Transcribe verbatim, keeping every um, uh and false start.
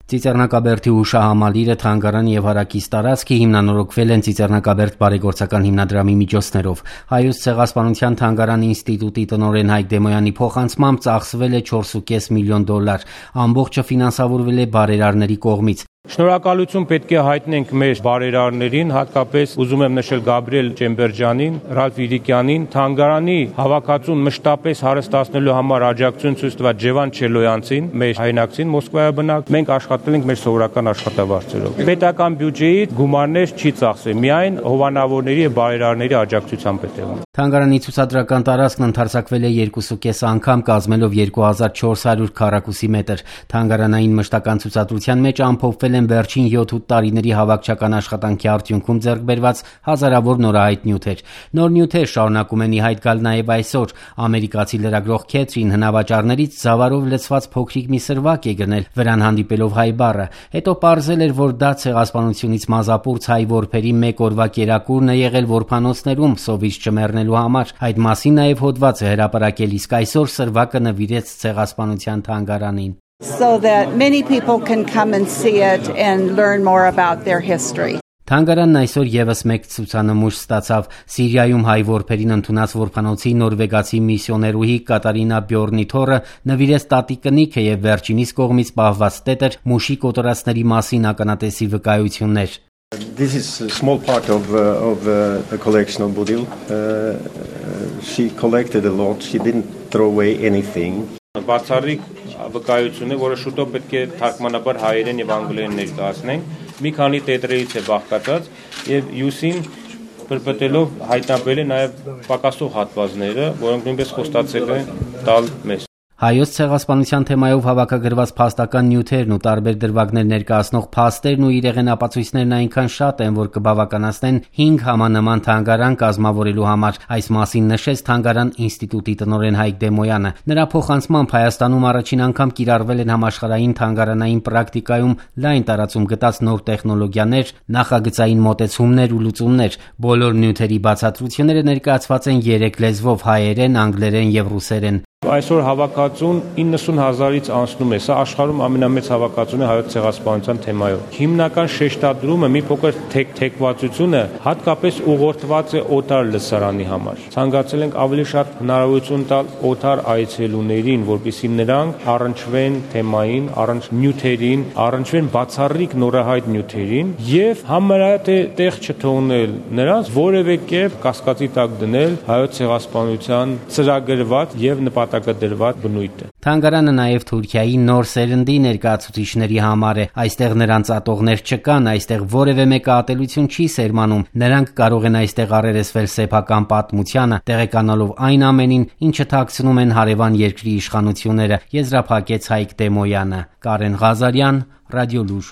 Ծիծեռնակաբերդի հուշահամալիրը, թանգարանը և հարակից տարածքը հիմնանորոգվել են Ծիծեռնակաբերդ բարեգործական հիմնադրամի միջոցներով։ Հայոց ցեղասպանության թանգարանի ինստիտուտի տնօրեն Հայկ Դեմոյանի փոխանցմամբ ծախսվել է չորս ու կես միլիոն դոլար։ Ամբողջը ֆինանսավորվել է բարերարների կողմից։ Շնորհակալություն պետք է հայտնենք մեր բարերարներին, հատկապես ուզում եմ նշել Գաբրիել Ջեմբերջյանին, Ռալֆ Իրիկյանին, թանգարանի հավաքածուն մշտապես հարստացնելու համար աջակցություն ցույց տված Ջևան Չելոյանցին, մեր հայրենակցին Մոսկվայաբնակ։ Մենք աշխատել ենք մեր սովորական աշխատավարձերով։ Պետական բյուջեից գումարներ չի ծախսել, միայն հովանավորների եւ բարերարների աջակցությամբ է տևում։ Թանգարանի ցուցադրական տարածքն ընդարձակվել է երկու ու կես անգամ, կազմելով երկու հազար չորս հարյուր քառակուսի մետր։ Թանգարանային մշտական ցուցադրության մեջ ամփոփվել են վերջին յոթ-ութ տարիների հավաքչական աշխատանքի արդյունքում ձեռք բերված հազարավոր նորահայտ նյութեր։ Նոր նյութեր շարունակում են ի հայտ գալ նաև այսօր։ Ամերիկացի լրագրող Քեթրին հնավաճառներից զավարով լցված փոքրիկ մի սրվակ է գնել, վրան հանդիպելով հայ բառը։ Հետո պարզել էր, որ դա ցեղասպանությունից մազապուրց հայ որբերի մեկ օրվա կերակուրն է եղել որբանոցներում սովից չմեռնելու համար։ Այդ մասին նաև հոդված է հրապարակել, իսկ այսօր սրվակը նվիրեց ցեղասպանության թանգարանին։ So that many people can come and see it and learn more about their history. Թանգարանն այսօր եւս մեկ ցուցանմուշ ստացավ։ Սիրիայում հայ որբերին ընդունած որբանոցի նորվեգացի միսիոներուհի Կատարինա Բյորնիթորը նվիրեց տատի կնիքը եւ վերջինիս կողմից պահված տետր մուշի կոտորածների մասին ականատեսի վկայություններ։ This is a small part of uh, of uh, the collection of Bodil. Uh, she collected a lot. She didn't throw away anything. Բացառիկ վկայություն է, որը շուտով պետք է թարգմանաբար հայերեն եւ անգլերեն ներկայացնենք։ Մի քանի տետրերից է բաղկացած եւ յուսին պրպտելով հայտնաբերել է նաեւ պակասող հատվածները, որոնք նույնպես խոստացել են տալ մեզ։ Հայոց ցեղասպանության թեմայով հավաքագրված փաստական նյութերն ու տարբեր դրվագներ ներկայացնող փաստերն ու իրեղեն ապացույցներն այնքան շատ են, որ կբավականացնեն հինգ համանման թանգարան կազմավորելու համար։ Այս մասին նշեց թանգարան ինստիտուտի տնօրեն Հայկ Դեմոյանը։ Նրա փոխանցմամբ Հայաստանում առաջին անգամ կիրառվել են համաշխարհային թանգարանային պրակտիկայում լայն տարածում գտած նոր տեխնոլոգիաներ, նախագծային մոտեցումներ ու լուծումներ։ Բոլոր նյութերի բացատրությունները ներկայացված են երեք լեզվով՝ հայերեն, անգլերեն եւ ռուսերեն։ Այսօր հավաքածուն իննսուն հազարից անցնում է, սա աշխարհում ամենամեծ հավաքածուն է հայոց ցեղասպանության թեմայով։ Հիմնական շեշտադրումը մի փոքր թեկվածությունը հատկապես ուղղորդված է օտար լսարանի համար։ Ցանկացել ենք ավելի շատ հնարավորություն տալ օտար այցելուներին, որպեսզի նրանք առնչվեն թեմային, առնչ նյութերին, առնչվեն բացառիկ նորահայտ նյութերին եւ համարյա տեղ չթողնել նրանց որևէ կերպ կասկածի տակ դնել հայոց ցեղասպանության ծրագրված եւ նպատակադրված բնույթը։ Թանգարանը նաև Թուրքիայի նոր սերնդի ներկայացուցիչների համար է։ Այստեղ նրանց ատողներ չկան, այստեղ որևէ մեկը ատելություն չի սերմանում։ Նրանք կարող են այստեղ առերեսվել սեփական պատմությանը, տեղեկանալով այն ամենին, ինչը թաքցնում են հարևան երկրի իշխանությունները, եզրափակեց Հայկ Դեմոյանը։ Կարեն Ղազարյան, Ռադիոլուր։